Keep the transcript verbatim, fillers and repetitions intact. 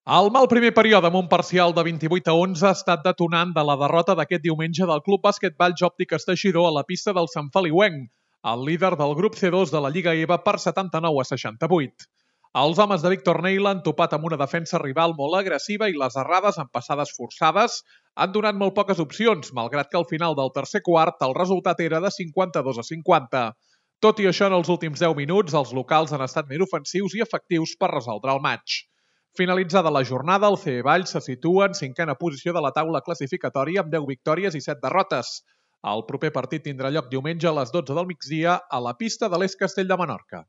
El mal primer període amb un parcial de vint-i-vuit a onze ha estat detonant de la derrota d'aquest diumenge del Club Bàsquetball Òptiques Teixidor a la pista del Sant Feliuenc, el líder del grup C dos de la Lliga E V A per setanta-nou a seixanta-vuit. Els homes de Víctor Neila han topat amb una defensa rival molt agressiva i les errades amb passades forçades han donat molt poques opcions, malgrat que al final del tercer quart el resultat era de cinquanta-dos a cinquanta. Tot i això, en els últims deu minuts, els locals han estat més ofensius i efectius per resoldre el maig. Finalitzada la jornada, el C E Valls se situa en cinquena posició de la taula classificatòria amb deu victòries i set derrotes. El proper partit tindrà lloc diumenge a les dotze del migdia a la pista de l'Es Castell de Menorca.